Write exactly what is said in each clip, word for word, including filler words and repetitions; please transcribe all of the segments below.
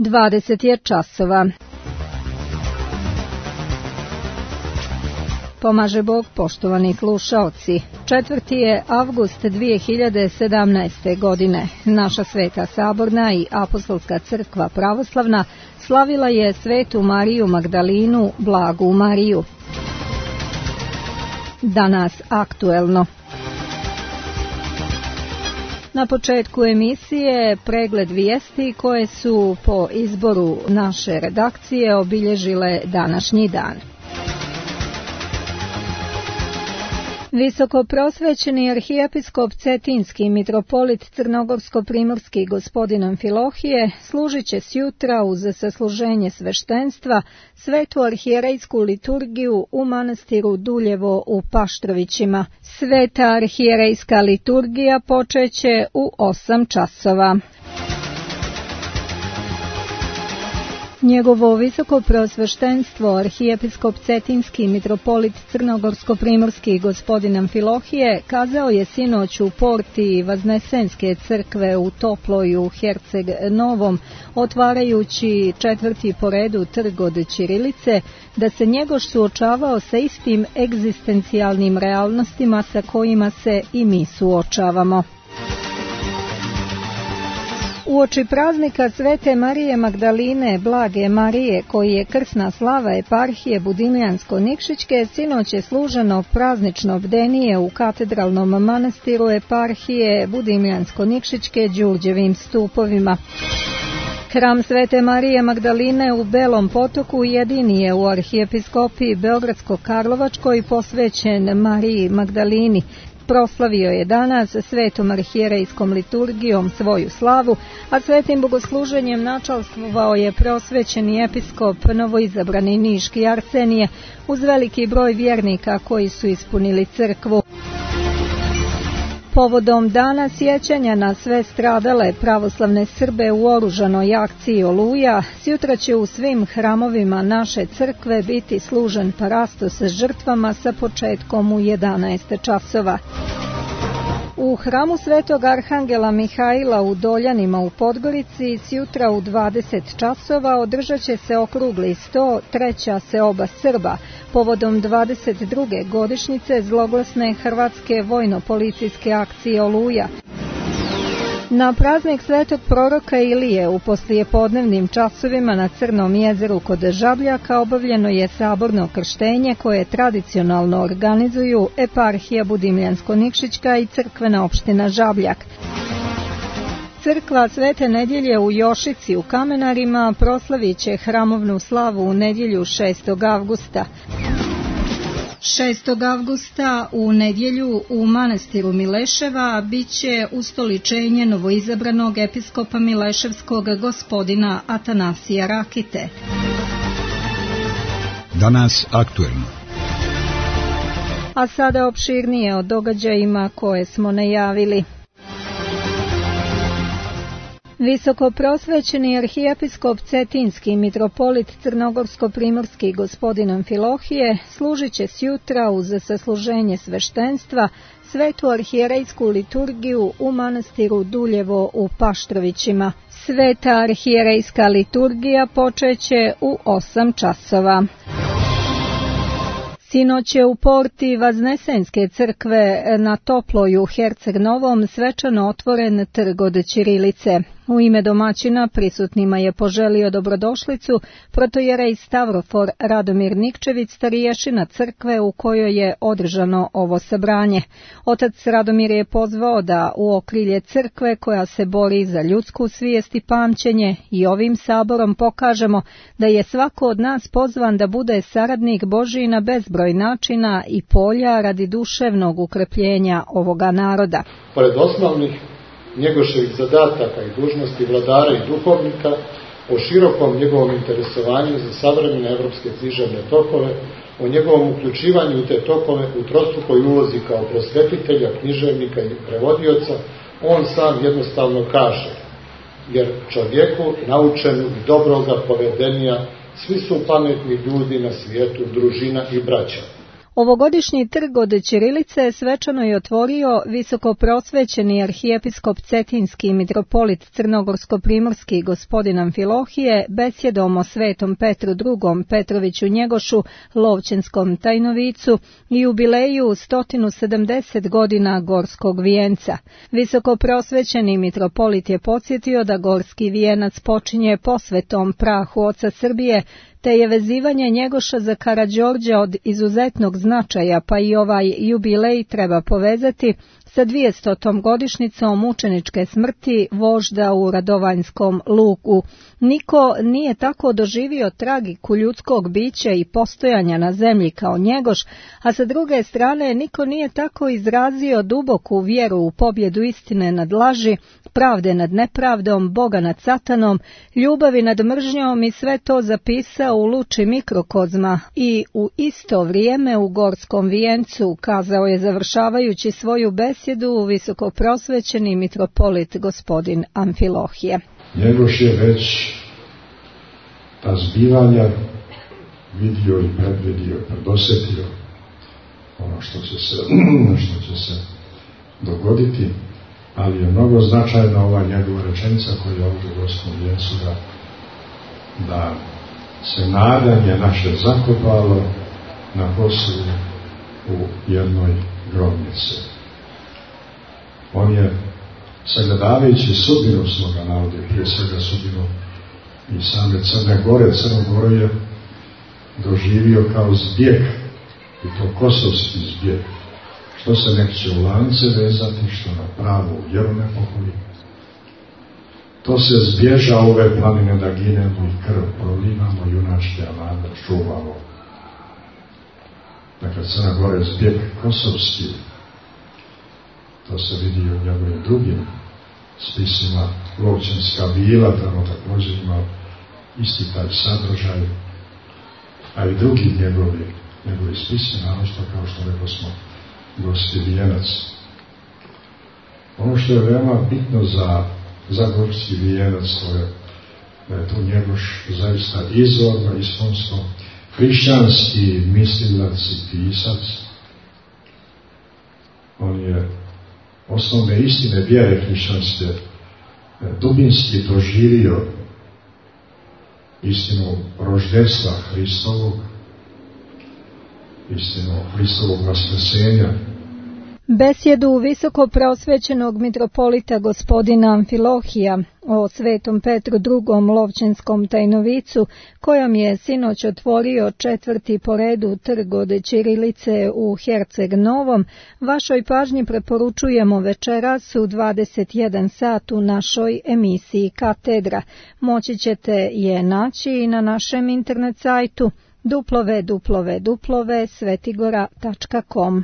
dvadeset je časova. Pomaže Bog, poštovani slušaoci. četvrti je avgust dvije hiljade sedamnaeste. godine. Naša Sveta Saborna i Apostolska crkva pravoslavna slavila je Svetu Mariju Magdalinu, Blagu Mariju. Danas aktuelno. Na početku emisije pregled vijesti koje su po izboru naše redakcije obilježile današnji dan. Visokoprosvećeni arhijepiskop Cetinski mitropolit Crnogorsko-primorski gospodin Amfilohije služit će sjutra uz sasluženje sveštenstva svetu arhijerejsku liturgiju u manastiru Duljevo u Paštrovićima. Sveta arhijerejska liturgija počeće u osam časova. Njegovo visoko preosveštenstvo arhijepiskop Cetinski mitropolit Crnogorsko-primorski gospodin Amfilohije kazao je sinoć u porti Vaznesenske crkve u Toploju Herceg Novom, otvarajući četvrti po redu trg od ćirilice, da se njegoš suočavao sa istim egzistencijalnim realnostima sa kojima se i mi suočavamo. Uoči praznika Svete Marije Magdaline, Blage Marije, koji je krsna slava eparhije Budimljansko-Nikšićke, sinoć je služeno praznično bdenije u katedralnom manastiru eparhije Budimljansko-Nikšićke Đurđevim stupovima. Hram Svete Marije Magdaline u Belom Potoku jedini je u arhijepiskopiji Beogradsko-Karlovačkoj posvećen Mariji Magdalini. Proslavio je danas svetom arhijerejskom liturgijom svoju slavu, a svetim bogosluženjem načalstvovao je preosvećeni episkop novoizabrani niški Arsenije uz veliki broj vjernika koji su ispunili crkvu. Povodom dana sjećanja na sve stradale pravoslavne Srbe u oružanoj akciji Oluja, sjutra će u svim hramovima naše crkve biti služen parastos s žrtvama sa početkom u jedanaest časova. U hramu Svetog Arhangela Mihajla u Doljanima u Podgorici sjutra u dvadeset časova održat će se okrugli sto, treća seoba Srba, povodom dvadeset druge godišnjice zloglasne hrvatske vojno-policijske akcije Oluja. Na praznik svetog proroka Ilije u poslijepodnevnim časovima na Crnom jezeru kod Žabljaka obavljeno je saborno krštenje koje tradicionalno organizuju eparhija Budimljansko-Nikšićka i crkvena opština Žabljak. Crkva Svete Nedjelje u Jošici u Kamenarima proslavit će hramovnu slavu u nedjelju šestog avgusta. šestog avgusta u nedjelju u manastiru Mileševa bit će ustoličenje novoizabranog episkopa Mileševskog gospodina Atanasija Rakite. Danas aktuelno. A sada opširnije o događajima koje smo najavili. Visokoprosvećeni arhijepiskop Cetinski mitropolit Crnogorsko-primorski gospodin Amfilohije služit će sjutra uz sasluženje sveštenstva svetu arhijerejsku liturgiju u manastiru Duljevo u Paštrovićima. Sveta arhijerejska liturgija počeće u osam časova. Sinoć je u porti Vaznesenske crkve na Toploju Herceg Novom svečano otvoren trg od ćirilice. U ime domaćina prisutnima je poželio dobrodošlicu protojerej Stavrofor Radomir Nikčević, stariješina crkve u kojoj je održano ovo sabranje. Otac Radomir je pozvao da u okrilje crkve koja se bori za ljudsku svijest i pamćenje i ovim saborom pokažemo da je svako od nas pozvan da bude saradnik Božji na bezbroj načina i polja radi duševnog ukrepljenja ovoga naroda. Pored osnovnih njegovih zadataka i dužnosti vladara i duhovnika, o širokom njegovom interesovanju za savremene evropske književne tokove, o njegovom uključivanju u te tokove u trostrukoj ulozi kao prosvetitelja, književnika i prevodioca, on sam jednostavno kaže, jer čovjeku naučenu i dobroga povedenja svi su pametni ljudi na svijetu, družina i braća. Ovogodišnji trg od ćirilice svečano je otvorio visokoprosvećeni arhijepiskop Cetinski mitropolit Crnogorsko-primorski gospodin Amfilohije besjedom o Svetom Petru drugom Petroviću Njegošu, Lovćenskom tajnovicu i jubileju sto sedamdeset godina Gorskog vijenca. Visokoprosvećeni mitropolit je podsjetio da Gorski vijenac počinje posvetom prahu oca Srbije, te je vezivanje Njegoša za Karađorđa od izuzetnog značaja, pa i ovaj jubilej treba povezati sa dvijestotom godišnjicom mučeničke smrti vožda u Radovanjskom luku. Niko nije tako doživio tragiku ljudskog bića i postojanja na zemlji kao Njegoš, a sa druge strane niko nije tako izrazio duboku vjeru u pobjedu istine nad laži, pravde nad nepravdom, Boga nad satanom, ljubavi nad mržnjom i sve to zapisao u luči mikrokozma i u isto vrijeme u Gorskom vijencu, kazao je završavajući svoju besjedu visokoprosvećeni mitropolit gospodin Amfilohije. Njegoš je već ta zbivanja vidio i predvidio, predosjetio ono što će se, što će se dogoditi, ali je mnogo značajna ova njegova rečenica koja je ovdje u Gorskom vijencu da, da se nadanje naše zakopalo na Kosovu u jednoj grobnici. On je, sagledavajući sudbinu svoga naroda, prije svega sudbinu i same Crne Gore, Crnu Goru je doživio kao zbjeg, i to kosovski zbjeg, što se neće u lance vezati, što na pravu vjeru ne pohodi. To se zbježa ove planine da ginemo i krv prolivamo, junačke alade čuvamo. Dakle, Crna Gora je zbjeg kosovski. To se vidi u njegovim drugim spisima. Lovćenska vila, tamo također ima isti taj sadržaj, a i drugi njegovi, njegovi spisi, naročito kao što rekao smo, Gorski vijenac. Ono što je veoma bitno za, za Gorski vijenac, to je da je tu Njegoš zaista izvorno, iskonsko, hrišćanski mislilac i pisac. On je osnovne istine vjere hrišćanske dubinski doživio, istinu roždestva Hristovog, istinu Hristovog vaskrsenja. Besjedu visokoprosvećenog mitropolita gospodina Amfilohija o Svetom Petru drugom Lovćenskom tajnovicu, kojom je sinoć otvorio četvrti po redu trg od ćirilice u Herceg Novom, vašoj pažnji preporučujemo večeras u dvadeset jedan sat u našoj emisiji Katedra. Moći ćete je naći i na našem internet sajtu w w w tačka svetigora tačka com.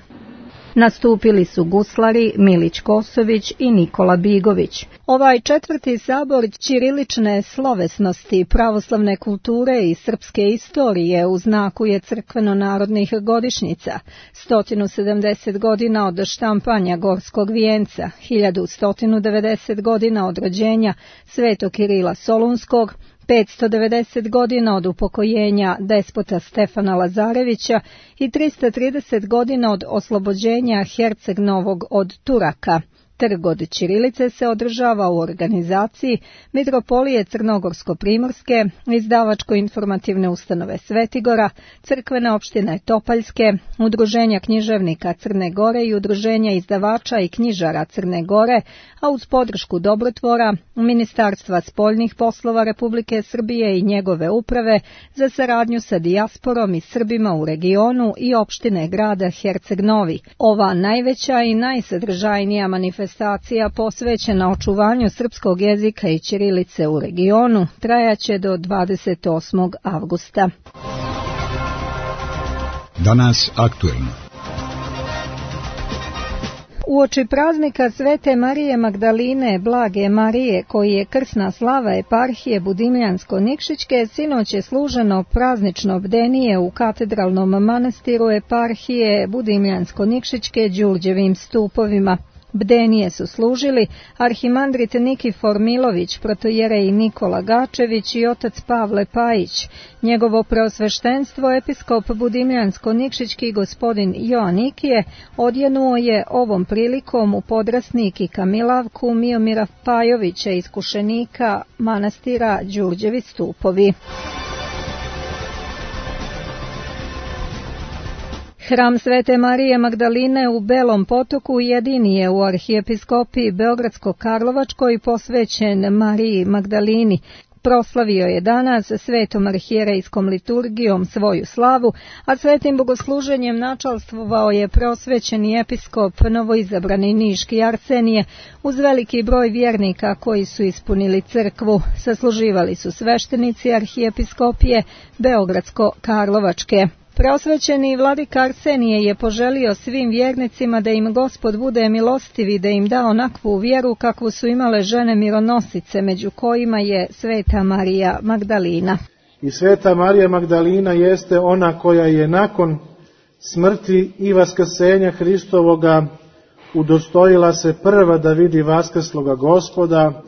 Nastupili su guslari Milić Kosović i Nikola Bigović. Ovaj četvrti sabor ćirilične slovesnosti, pravoslavne kulture i srpske istorije u znaku je crkveno-narodnih godišnjica. sto sedamdeset godina od štampanja Gorskog vijenca, hiljadu sto devedeset godina od rođenja Svetog Kirila Solunskog, petsto devedeset godina od upokojenja despota Stefana Lazarevića i tristo trideset godina od oslobođenja Herceg Novog od Turaka. Trg od ćirilice se održava u organizaciji Mitropolije Crnogorsko-primorske, izdavačko-informativne ustanove Svetigora, crkvene opštine Topaljske, Udruženja književnika Crne Gore i Udruženja izdavača i knjižara Crne Gore, a uz podršku Dobrotvora, Ministarstva spoljnih poslova Republike Srbije i njegove uprave za saradnju sa dijasporom i Srbima u regionu i opštine grada Herceg Novi. Ova najveća i najsadržajnija manifestacija Manifestacija posvećena očuvanju srpskog jezika i ćirilice u regionu trajaće do dvadeset osmog avgusta. Danas aktuelno. Uoči praznika Svete Marije Magdaline Blage Marije, koji je krsna slava eparhije Budimljansko-Nikšićke, sinoć je služeno praznično bdenije u katedralnom manastiru eparhije Budimljansko-Nikšićke Đurđevim stupovima. Bdenije su služili arhimandrit Nikifor Milović, protojerej Nikola Gačević i otac Pavle Pajić. Njegovo preosveštenstvo episkop Budimljansko-Nikšićki gospodin Joanikije odjenuo je ovom prilikom u podrasnik i kamilavku Miomira Pajovića, iskušenika manastira Đurđevi stupovi. Hram Svete Marije Magdaline u Belom Potoku jedini je u arhijepiskopiji Beogradsko-Karlovačkoj posvećen Mariji Magdalini. Proslavio je danas svetom arhijerejskom liturgijom svoju slavu, a svetim bogosluženjem načalstvovao je prosvećeni episkop novoizabrani niški Arsenije uz veliki broj vjernika koji su ispunili crkvu. Sasluživali su sveštenici arhijepiskopije Beogradsko-Karlovačke. Preosvećeni vladika Arsenije je poželio svim vjernicima da im Gospod bude milostiv i da im da onakvu vjeru kakvu su imale žene mironosice, među kojima je Sveta Marija Magdalina. I Sveta Marija Magdalina jeste ona koja je nakon smrti i vaskrsenja Hristovoga udostojila se prva da vidi vaskrsloga Gospoda,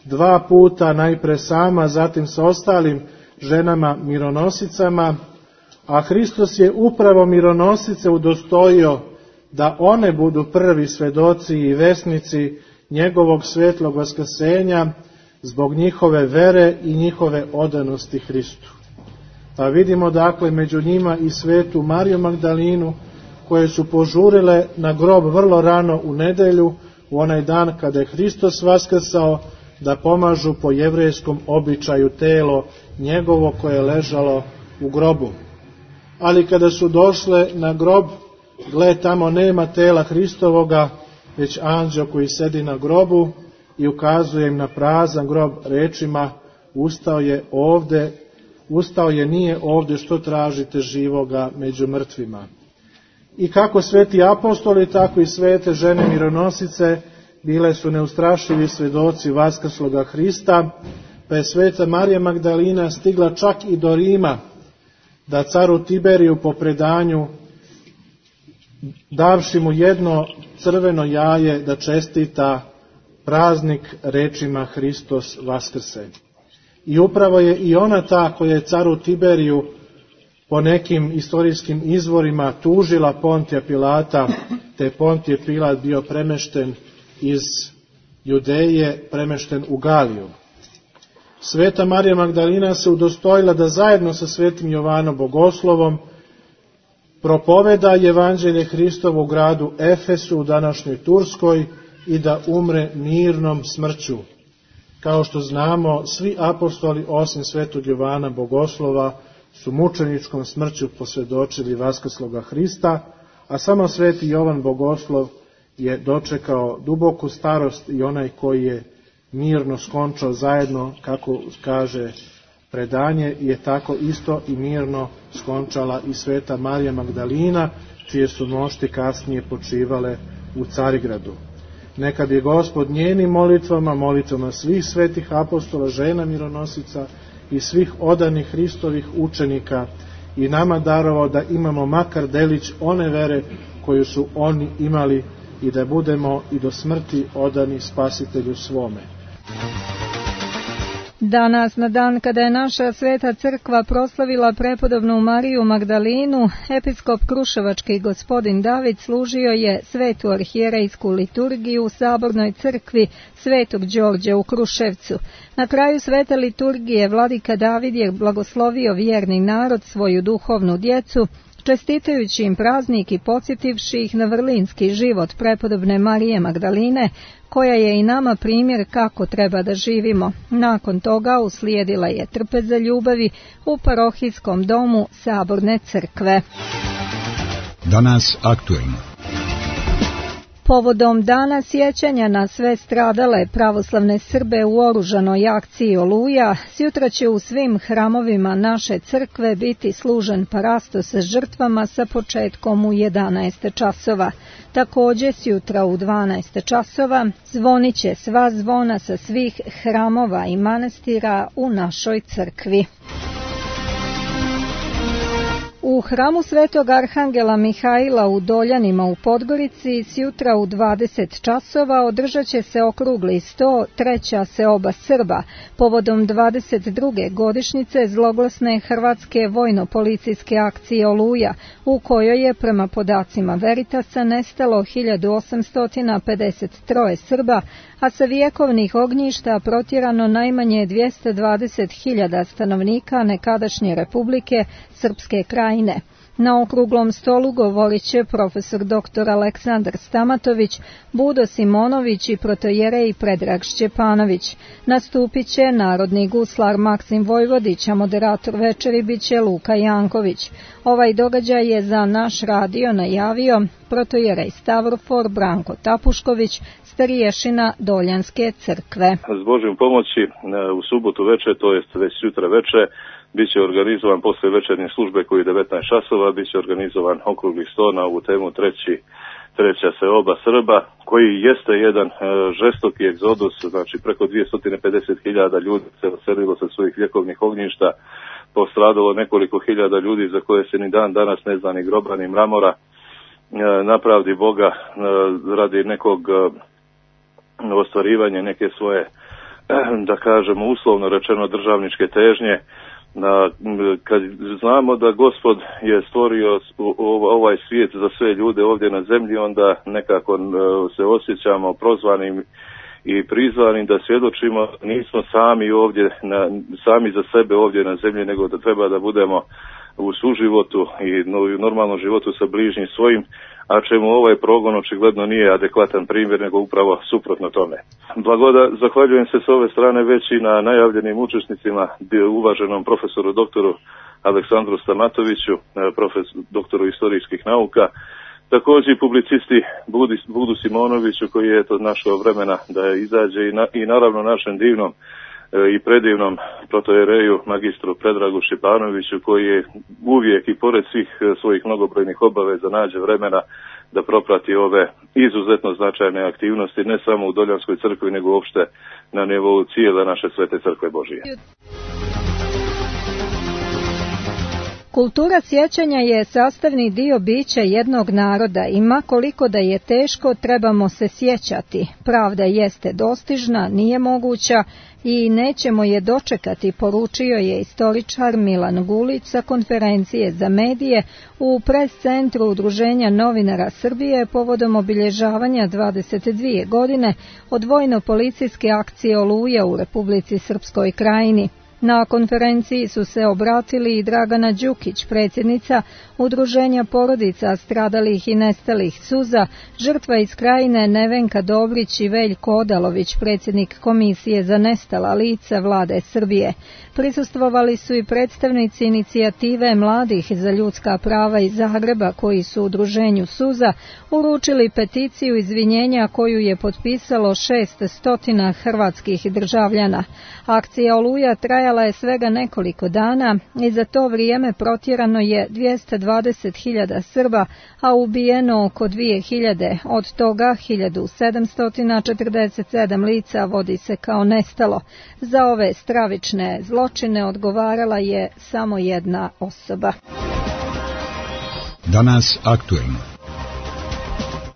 dva puta, najpre sama, zatim sa ostalim ženama mironosicama, a Hristos je upravo mironosice udostojio da one budu prvi svedoci i vesnici njegovog svetlog vaskrsenja zbog njihove vere i njihove odanosti Hristu. Pa vidimo dakle među njima i svetu Mariju Magdalinu, koje su požurile na grob vrlo rano u nedelju, u onaj dan kada je Hristos vaskrsao, da pomažu po jevrejskom običaju telo njegovo koje je ležalo u grobu. Ali kada su došle na grob, gle, tamo nema tela Hristovoga, već anđeo koji sedi na grobu i ukazuje im na prazan grob rečima: ustao je ovde, ustao je, nije ovde, što tražite živoga među mrtvima. I kako sveti apostoli, tako i svete žene mironosice bile su neustrašivi svedoci vaskrsloga Hrista, pa je Sveta Marija Magdalina stigla čak i do Rima, da caru Tiberiju po predanju, davši mu jedno crveno jaje, da čestita praznik rečima Hristos vaskrse. I upravo je i ona ta koja je caru Tiberiju po nekim istorijskim izvorima tužila Pontija Pilata, te Pontije Pilat bio premešten iz Judeje, premešten u Galiju. Sveta Marija Magdalina se udostojila da zajedno sa svetim Jovanom Bogoslovom propoveda evanđelje Hristovo u gradu Efesu u današnjoj Turskoj i da umre mirnom smrću. Kao što znamo, svi apostoli osim svetog Jovana Bogoslova su mučeničkom smrću posvjedočili vaskrsloga Hrista, a samo sveti Jovan Bogoslov je dočekao duboku starost i onaj koji je mirno skončao zajedno, kako kaže predanje, je tako isto i mirno skončala i Sveta Marija Magdalina, čije su nošti kasnije počivale u Carigradu. Neka bi Gospod njenim molitvama, molitvama svih svetih apostola, žena mironosica i svih odanih Hristovih učenika i nama darovao da imamo makar delić one vere koju su oni imali i da budemo i do smrti odani Spasitelju svome. Danas, na dan kada je naša sveta crkva proslavila prepodobnu Mariju Magdalinu, episkop Kruševački gospodin David služio je svetu arhijerejsku liturgiju u sabornoj crkvi Svetog Đorđa u Kruševcu. Na kraju svete liturgije vladika David je blagoslovio vjerni narod, svoju duhovnu djecu, čestitajući im praznik i podsjetivši ih na vrlinski život prepodobne Marije Magdaline, koja je i nama primjer kako treba da živimo. Nakon toga uslijedila je trpeza ljubavi u parohijskom domu Saborne crkve. Danas aktuelno. Povodom dana sjećanja na sve stradale pravoslavne Srbe u oružanoj akciji Oluja, sjutra će u svim hramovima naše crkve biti služen parastos s žrtvama sa početkom u jedanaest časova. Također sjutra u dvanaest časova zvonit će sva zvona sa svih hramova i manastira u našoj crkvi. U U hramu Svetog Arhangela Mihajla u Doljanima u Podgorici sjutra u dvadeset časova održat će se okrugli sto, treća seoba Srba, povodom dvadeset druge godišnjice zloglasne hrvatske vojno-policijske akcije Oluja, u kojoj je prema podacima Veritasa nestalo hiljadu osamsto pedeset tri Srba, a sa vjekovnih ognjišta protjerano najmanje dvjesto dvadeset hiljada stanovnika nekadašnje Republike Srpske Krajine. Na okruglom stolu govorit će profesor doktor Aleksandar Stamatović, Budo Simonović i protojerej Predrag Šćepanović. Nastupit će narodni guslar Maksim Vojvodić, a moderator večeri bit će Luka Janković. Ovaj događaj je za naš radio najavio protojerej Stavrofor Branko Tapušković, stariješina Doljanske crkve. S Božjom pomoći u subotu večer, to jest već sutra večer, biće organizovan posle večernje službe koji je devetnaest časova, biće organizovan okrugli sto na ovu temu treći, treća seoba Srba, koji jeste jedan e, žestoki egzodus, znači preko dvjesto pedeset hiljada ljudi se odselilo sa svojih vjekovnih ognjišta, postradalo nekoliko hiljada ljudi za koje se ni dan danas ne zna ni groba ni mramora, e, na pravdi Boga e, radi nekog e, ostvarivanja neke svoje, e, da kažemo uslovno rečeno državničke težnje. Na, kad znamo da Gospod je stvorio ovaj svijet za sve ljude ovdje na zemlji, onda nekako se osjećamo prozvanim i prizvanim da svjedočimo, nismo sami ovdje, na, sami za sebe ovdje na zemlji, nego da treba da budemo u suživotu i u normalnom životu sa bližnjim svojim, a čemu ovaj progon očigledno nije adekvatan primjer, nego upravo suprotno tome. Blagoda, zahvaljujem se s ove strane već i na najavljenim učesnicima, uvaženom profesoru doktoru Aleksandru Stamatoviću, profesor, doktoru istorijskih nauka, također i publicisti Budi, Budu Simonoviću, koji je to našao vremena da izađe i, na, i naravno našem divnom i predivnom protojereju magistru Predragu Šćepanoviću, koji je uvijek i pored svih svojih mnogobrojnih obaveza nađe vremena da proprati ove izuzetno značajne aktivnosti, ne samo u Doljanskoj crkvi, nego uopšte na nivou cijele naše svete crkve Božije. Kultura sjećanja je sastavni dio bića jednog naroda i ma koliko da je teško, trebamo se sjećati. Pravda jeste dostižna, nije moguća i nećemo je dočekati, poručio je istoričar Milan Gulić sa konferencije za medije u pres centru Udruženja novinara Srbije povodom obilježavanja dvadeset dvije godine od vojno-policijske akcije Oluja u Republici Srpskoj Krajini. Na konferenciji su se obratili i Dragana Đukić, predsjednica Udruženja porodica stradalih i nestalih suza, žrtva iz Krajine Nevenka Dobrić i Veljko Odalović, predsjednik Komisije za nestala lica Vlade Srbije. Prisustvovali su i predstavnici inicijative mladih za ljudska prava iz Zagreba, koji su Udruženju suza uručili peticiju izvinjenja koju je potpisalo šessto hrvatskih državljana. Akcija Oluja trajala je svega nekoliko dana i za to vrijeme protjerano je dvjesto dvadeset hiljada Srba, a ubijeno oko dvije hiljade, od toga hiljadu sedamsto četrdeset sedam lica vodi se kao nestalo. Za ove stravične zločine odgovarala je samo jedna osoba. Danas aktuelno.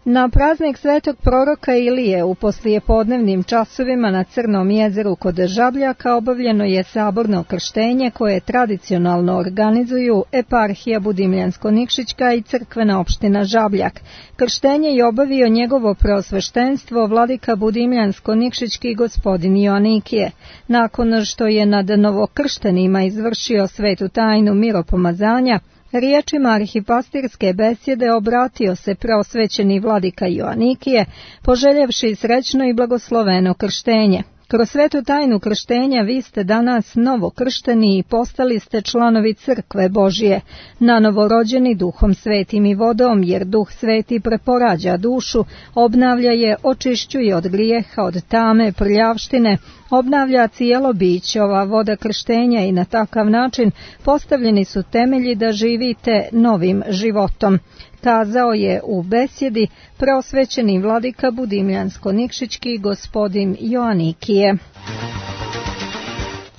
Na praznik svetog proroka Ilije u poslijepodnevnim časovima na Crnom jezeru kod Žabljaka obavljeno je saborno krštenje koje tradicionalno organizuju eparhija Budimljansko-Nikšićka i crkvena opština Žabljak. Krštenje je obavio njegovo preosveštenstvo vladika Budimljansko-Nikšićki gospodin Joanikije. Nakon što je nad novokrštenima izvršio svetu tajnu miropomazanja, riječima arhipastirske besjede obratio se preosvećeni vladika Joanikije, poželjevši srećno i blagosloveno krštenje. Kroz svetu tajnu krštenja vi ste danas novokršteni i postali ste članovi crkve Božije, nanovorođeni duhom svetim i vodom, jer duh sveti preporađa dušu, obnavlja je, očišćuje od grijeha, od tame, prljavštine, obnavlja cijelo biće ova voda krštenja i na takav način postavljeni su temelji da živite novim životom, kazao je u besjedi preosvećeni vladika Budimljansko-Nikšićki gospodin Joanikije.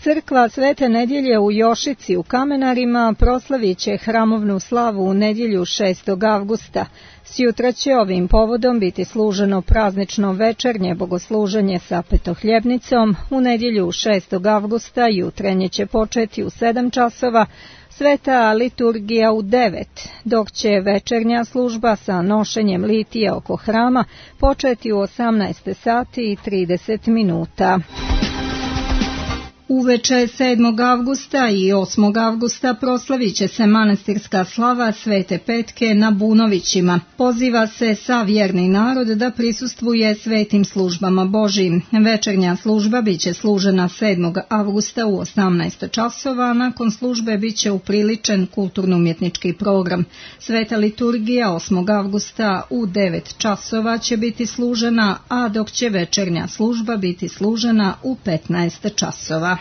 Crkva Svete Nedjelje u Jošici u Kamenarima proslavit će hramovnu slavu u nedjelju šestog avgusta. Sjutra će ovim povodom biti služeno praznično večernje bogosluženje sa petohljebnicom. U nedjelju šestog avgusta jutrenje će početi u sedam časova, sveta liturgija u devet, dok će večernja služba sa nošenjem litije oko hrama početi u osamnaest sati i trideset minuta. Uveče sedmog avgusta i osmog avgusta proslavit će se manastirska slava Svete Petke na Bunovićima. Poziva se sav vjerni narod da prisustvuje svetim službama Božijim. Večernja služba biće služena sedmog avgusta u osamnaest časova, a nakon službe biće upriličen kulturno-umjetnički program. Sveta liturgija osmog avgusta u devet časova će biti služena, a dok će večernja služba biti služena u petnaest časova.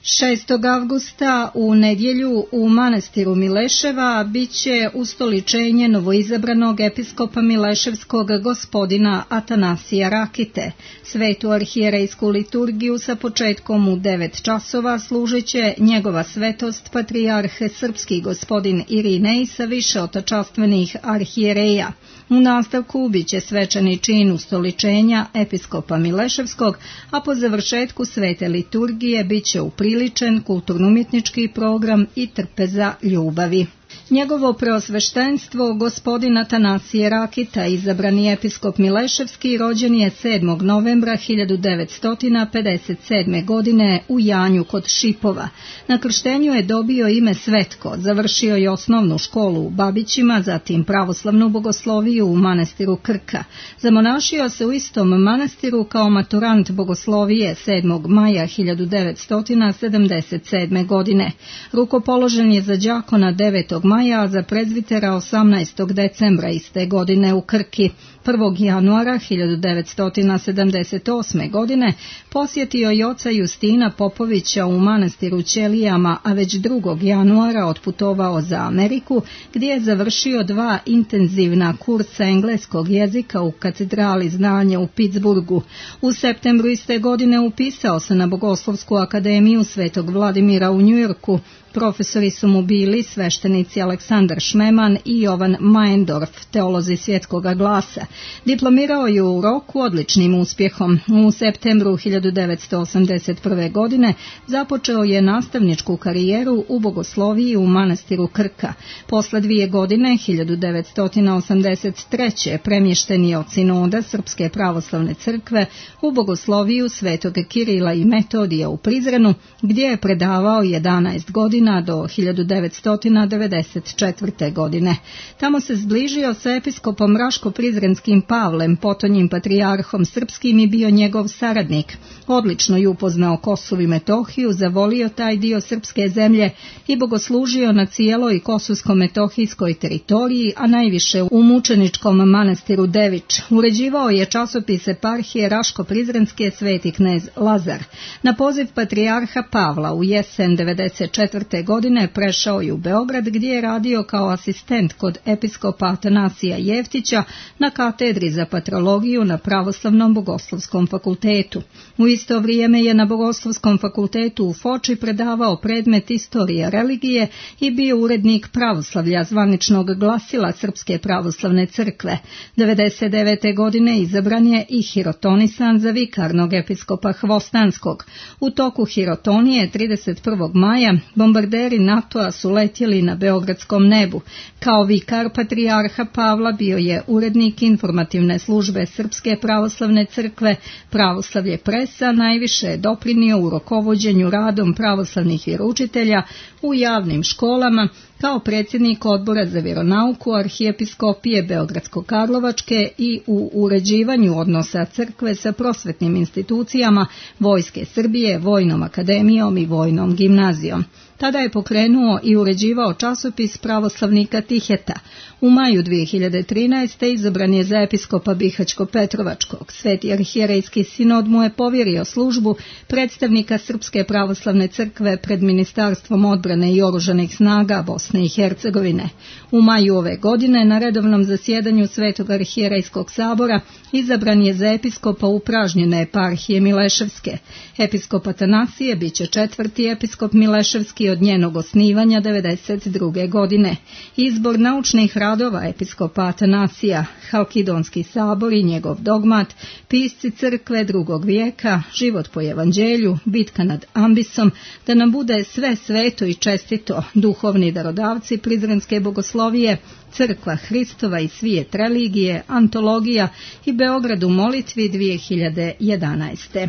šestog avgusta u nedjelju u manastiru Mileševa biće ustoličenje novoizabranog episkopa Mileševskog gospodina Atanasija Rakite. Svetu arhijerejsku liturgiju sa početkom u devet časova služit će njegova svetost patrijarh srpski gospodin Irinej sa više otačastvenih arhijereja. U nastavku biće svečani čin ustoličenja episkopa Mileševskog, a po završetku svete liturgije biće upriličen kulturno-umjetnički program i trpeza ljubavi. Njegovo preosveštenstvo, gospodin Atanasije Rakita, izabrani episkop Mileševski, rođen je sedmog novembra hiljadu devetsto pedeset sedme. godine u Janju kod Šipova. Na krštenju je dobio ime Svetko, završio je osnovnu školu u Babićima, zatim pravoslavnu bogosloviju u manastiru Krka. Zamonašio se u istom manastiru kao maturant bogoslovije sedmog maja hiljadu devetsto sedamdeset sedme. godine. Rukopoložen je za đakona devetog maja, a za prezvitera osamnaestog decembra iste godine u Krki. prvog januara hiljadu devetsto sedamdeset osme. godine posjetio je oca Justina Popovića u manastiru Ćelijama, a već drugog januara otputovao za Ameriku, gdje je završio dva intenzivna kursa engleskog jezika u katedrali znanja u Pittsburghu. U septembru iste godine upisao se na Bogoslovsku akademiju Svetog Vladimira u Njujorku. Profesori su mu bili sveštenici Aleksandar Šmeman i Jovan Majendorf, teolozi svjetskog glasa. Diplomirao je u roku odličnim uspjehom. U septembru hiljadu devetsto osamdeset prve. godine započeo je nastavničku karijeru u bogosloviji u manastiru Krka. Posle dvije godine, hiljadu devetsto osamdeset treće. premješten je od sinoda Srpske pravoslavne crkve u bogosloviju Svetog Kirila i Metodija u Prizrenu, gdje je predavao jedanaest godina do hiljadu devetsto devedeset četvrte. godine. Tamo se zbližio sa episkopom Raško-Prizrenskim Pavlem, potonjim patrijarhom srpskim, i bio njegov saradnik. Odlično je upoznao Kosovo i Metohiju, zavolio taj dio srpske zemlje i bogoslužio na cijeloj kosovsko-metohijskoj teritoriji, a najviše u mučeničkom manastiru Devič. Uređivao je časopis eparhije Raško-Prizrenske Sveti knez Lazar. Na poziv patrijarha Pavla u jesen devedeset četvrte. godine prešao je u Beograd, gdje je radio kao asistent kod episkopa Atanasija Jeftića na katedri za patrologiju na Pravoslavnom bogoslovskom fakultetu. U isto vrijeme je na Bogoslovskom fakultetu u Foči predavao predmet istorija religije i bio urednik pravoslavlja, zvaničnog glasila Srpske pravoslavne crkve. devedeset devete. godine izabran je i hirotonisan za vikarnog episkopa Hvostanskog. U toku hirotonije trideset prvog maja bombarderi NATO-a su letjeli na beogradskom nebu. Kao vikar patrijarha Pavla bio je urednik informativne službe Srpske pravoslavne crkve. Pravoslavlje presa najviše je doprinio u rukovođenju radom pravoslavnih vjeroučitelja u javnim školama, kao predsjednik odbora za vjeronauku arhijepiskopije Beogradsko-Karlovačke i u uređivanju odnosa crkve sa prosvetnim institucijama Vojske Srbije, Vojnom akademijom i Vojnom gimnazijom. Tada je pokrenuo i uređivao časopis Pravoslavnika Tiheta. U maju dvije hiljade trinaeste. izabran je za episkopa Bihaćko-Petrovačkog. Sveti arhijerejski sinod mu je povjerio službu predstavnika Srpske pravoslavne crkve pred Ministarstvom odbrane i oružanih snaga Bosne i Hercegovine. U maju ove godine na redovnom zasjedanju Svetog arhijerejskog sabora izabran je za episkopa upražnjene eparhije Mileševske. Episkop Atanasije bit će četvrti episkop Mileševski od njenog osnivanja devedeset druge godine. Izbor naučnih radova episkopa Atanasija, Halkidonski sabor i njegov dogmat, pisci crkve drugog vijeka, život po evanđelju, bitka nad Ambisom, da nam bude sve sveto i čestito, duhovni darodavci Prizrenske bogoslovije, Crkva Hristova i svijet religije, antologija i Beograd u molitvi dvije hiljade jedanaeste.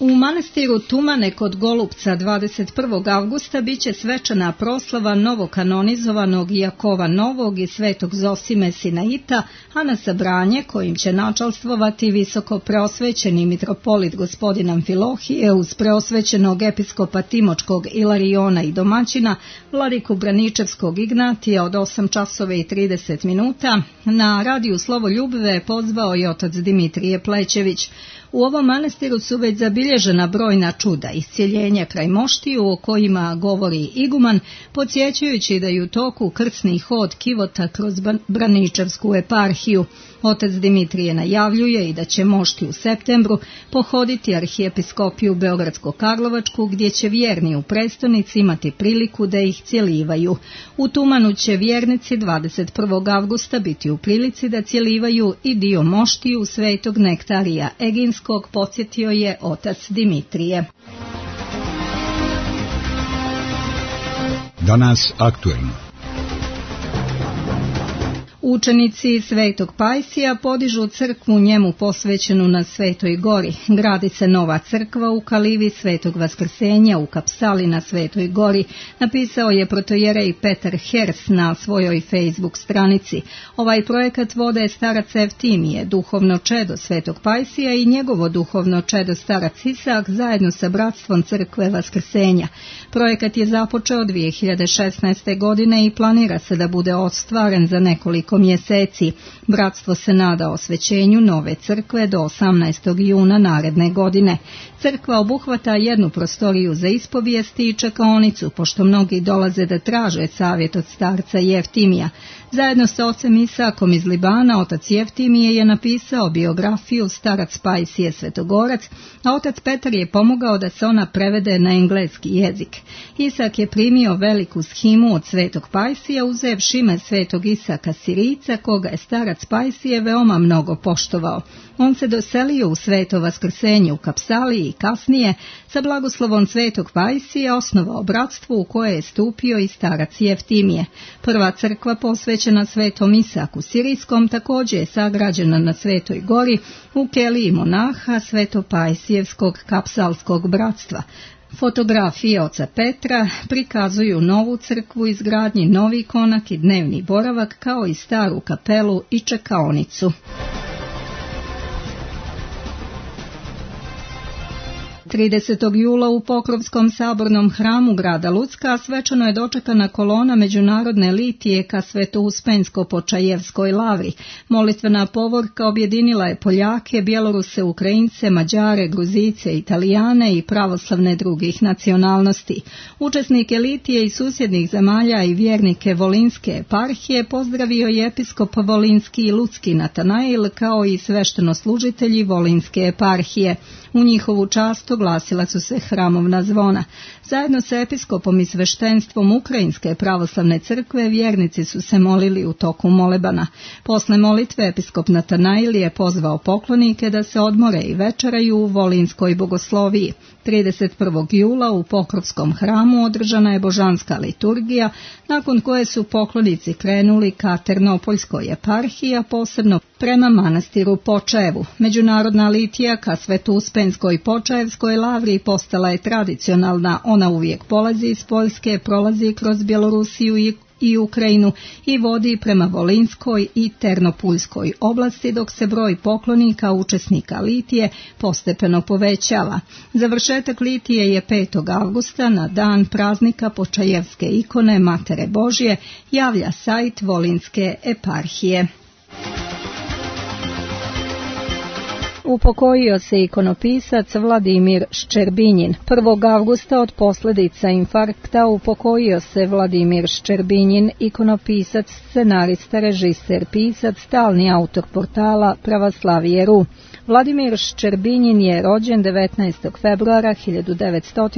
U manastiru Tumane kod Golupca dvadeset prvog avgusta biće svečana proslava novokanonizovanog Jakova Novog i svetog Zosime Sinaita, a na sabranje kojim će načalstvovati visoko preosvećeni mitropolit gospodin Amfilohije uz preosvećenog episkopa Timočkog Ilariona i domaćina vladiku Braničevskog Ignatija od osam časova i trideset minuta, na radiju Slovo Ljubve pozvao i otac Dimitrije Plećević. U ovom manastiru su već zabilježena brojna čuda, iscjeljenja kraj moštiju o kojima govori iguman, podsjećajući da je u toku krsni hod kivota kroz Braničevsku eparhiju. Otac Dimitrije najavljuje i da će mošti u septembru pohoditi arhijepiskopiju Beogradsko-Karlovačku, gdje će vjerni u prestonici imati priliku da ih cjelivaju. U Tumanu će vjernici dvadeset prvog avgusta biti u prilici da cjelivaju i dio moštiju svetog Nektarija Eginskog, podsjetio je otac Dimitrije. Danas aktuelno. Učenici Svetog Pajsija podižu crkvu njemu posvećenu na Svetoj gori. Gradi se nova crkva u Kalivi Svetog Vaskrsenja u Kapsali na Svetoj gori, napisao je protojerej Petar Hers na svojoj Facebook stranici. Ovaj projekat vode starac Evtimije, duhovno čedo Svetog Pajsija, i njegovo duhovno čedo starac Isak zajedno sa bratstvom crkve Vaskrsenja. Projekat je započeo dvije hiljade šesnaeste. godine i planira se da bude ostvaren za nekoliko mjeseci. Bratstvo se nada osvećenju nove crkve do osamnaestog juna naredne godine. Crkva obuhvata jednu prostoriju za ispovijesti i čekaonicu, pošto mnogi dolaze da traže savjet od starca Jeftimija. Zajedno sa ocem Isakom iz Libana, otac Jeftimije je napisao biografiju starac Pajsije Svetogorac, a otac Petar je pomogao da se ona prevede na engleski jezik. Isak je primio veliku shimu od Svetog Pajsija, uzevši ime Svetog Isaka Sirica, koga je starac Pajsije veoma mnogo poštovao. On se doselio u Sveto Vaskrsenje u Kapsali i kasnije, sa blagoslovom Svetog Pajsija, osnovao bratstvo u koje je stupio i starac Jeftimije. Prva crkva posvećena Svetom Isaku Sirijskom također je sagrađena na Svetoj gori u keliji monaha Svetopajsijevskog kapsalskog bratstva. Fotografije oca Petra prikazuju novu crkvu, izgradnji novi konak i dnevni boravak, kao i staru kapelu i čekaonicu. tridesetog jula u Pokrovskom sabornom hramu grada Lucka svečano je dočekana kolona međunarodne litije ka Sveto-Uspensko-Počajevskoj lavri. Molitvena povorka objedinila je Poljake, Bjeloruse, Ukrajince, Mađare, Gruzice, Italijane i pravoslavne drugih nacionalnosti. Učesnike litije i susjednih zemalja i vjernike Volinske eparhije pozdravio je episkop Volinski i Lucki Natanail, kao i sveštenoslужitelji Volinske eparhije. U njihovu čast oglasila su se hramovna zvona. Zajedno sa episkopom i sveštenstvom Ukrajinske pravoslavne crkve vjernici su se molili u toku molebana. Posle molitve episkop Natanail je pozvao poklonike da se odmore i večeraju u Volinskoj bogosloviji. trideset prvog jula u Pokrovskom hramu održana je božanska liturgija, nakon koje su poklonici krenuli ka Ternopoljskoj eparhiji, a posebno prema manastiru Počajevu. Međunarodna litija ka Sveto-Uspenskoj Počajevskoj lavri postala je tradicionalna. Ona uvijek polazi iz Poljske, prolazi kroz Bjelorusiju i i Ukrajinu i vodi prema Volinskoj i Ternopuljskoj oblasti, dok se broj poklonika učesnika litije postepeno povećava. Završetak litije je petog avgusta na dan praznika Počajevske ikone Matere Božje, javlja sajt Volinske eparhije. Upokojio se ikonopisac Vladimir Ščerbinjin. prvog avgusta od posljedica infarkta upokojio se Vladimir Ščerbinjin, ikonopisac, scenarista, režiser, pisac, stalni autor portala Pravoslavije punkt ru. Vladimir Ščerbinjin je rođen devetnaestog februara hiljadu devetsto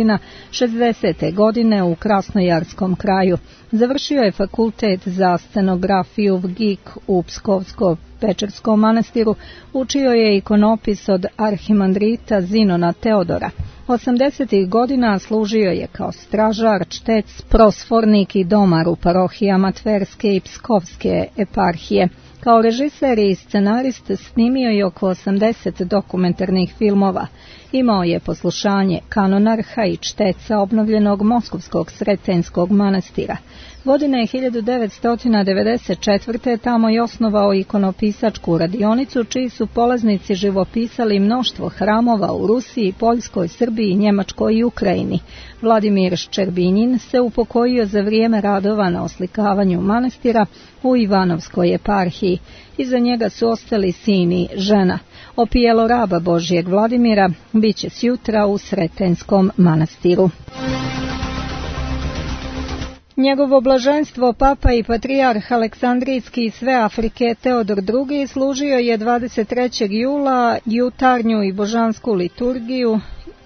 šezdesete. godine u Krasnojarskom kraju. Završio je fakultet za scenografiju V G I K u Pskovsko-Pečerskom manastiru, učio je ikonopis od arhimandrita Zinona Teodora. osamdesetih godina služio je kao stražar, čtec, prosfornik i domar u parohijama Tverske i Pskovske eparhije. Kao režiser i scenarist snimio je oko osamdeset dokumentarnih filmova. Imao je poslušanje kanonarha i čteca obnovljenog Moskovskog Sretenskog manastira. Godine hiljadu devetsto devedeset četvrte. tamo je osnovao ikonopisačku radionicu, čiji su polaznici živopisali mnoštvo hramova u Rusiji, Poljskoj, Srbiji, Njemačkoj i Ukrajini. Vladimir Ščerbinjin se upokojio za vrijeme radova na oslikavanju manastira u Ivanovskoj eparhiji. Iza njega su ostali sin i žena. Opijelo raba Božijeg Vladimira biće sjutra u Sretenskom manastiru. Njegovo blaženstvo papa i patrijarh Aleksandrijski i sve Afrike Teodor drugi. služio je dvadeset trećeg jula jutarnju i božansku liturgiju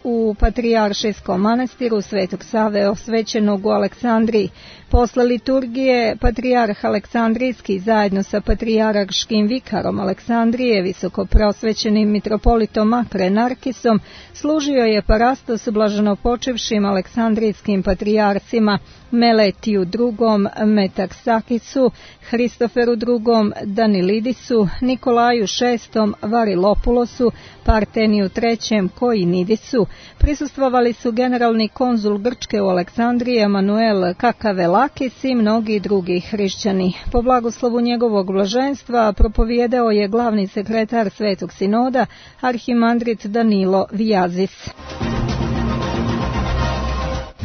u Patrijaršijskom manastiru Svetog Save osvećenog u Aleksandriji. Posle liturgije patrijarh Aleksandrijski zajedno sa patrijarškim vikarom Aleksandrije, visokoprosvećenim mitropolitom Makre Narkisom, služio je parastos blaženopočevšim aleksandrijskim patrijarcima Meletiju drugom, Metaksakisu, Hristoferu drugom, Danilidisu, Nikolaju šestom, Varilopulosu, Parteniju trećem, Koinidisu. Prisustvovali su generalni konzul Grčke u Aleksandriji Emanuel Kakavelakis i mnogi drugi hrišćani. Po blagoslovu njegovog blaženstva propovijedao je glavni sekretar Svetog sinoda, arhimandrit Danilo Vijazis.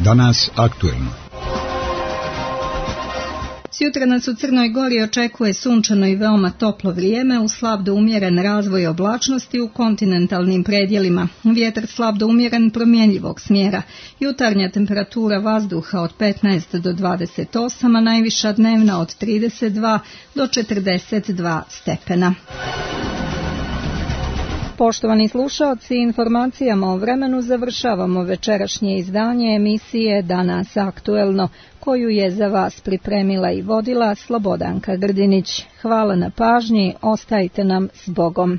Danas aktuelno. Sutra nas u Crnoj Gori očekuje sunčano i veoma toplo vrijeme uz slab do umjeren razvoj oblačnosti u kontinentalnim predjelima. Vjetar slab do umjeren promjenjivog smjera. Jutarnja temperatura vazduha od petnaest do dvadeset osam, a najviša dnevna od trideset dva do četrdeset dva stepena. Poštovani slušaoci, informacijama o vremenu završavamo večerašnje izdanje emisije Danas aktuelno, koju je za vas pripremila i vodila Slobodanka Grdinić. Hvala na pažnji, ostajte nam s Bogom.